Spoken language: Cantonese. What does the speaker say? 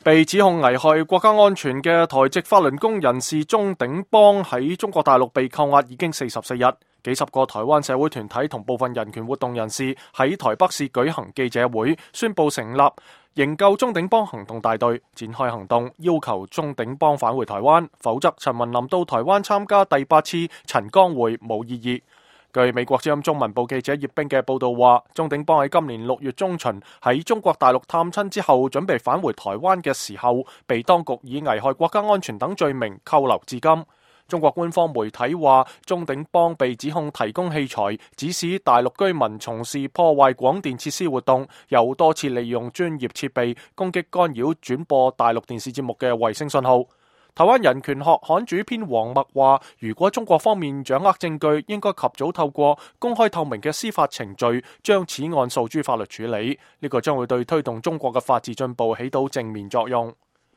被指控危害國家安全嘅台籍法輪功人士鍾鼎邦喺中國大陸被扣押已經44日，幾十個台灣社會團體同部分人權活動人士喺台北市舉行記者會，宣布成立營救鍾鼎邦行動大隊，展開行動，要求鍾鼎邦返回台灣，否則陳文林到台灣參加第8次陳江會冇意義。據美國之音中文部記者葉冰嘅報道話，鍾鼎邦喺今年6月中旬喺中國大陸探親之後，準備返回台灣嘅時候，被當局以危害國家安全等罪名扣留至今。中國官方媒體話，鍾鼎邦被指控提供器材，指使大陸居民從事破壞廣電設施活動，又多次利用專業設備攻擊干擾轉播大陸電視節目嘅衛星信號。台灣人權學刊主編黃默話，如果中國方面掌握證據，應該及早透過公開透明嘅司法程序，將此案訴諸法律處理，呢個將會對推動中國嘅法治進步起到正面作用。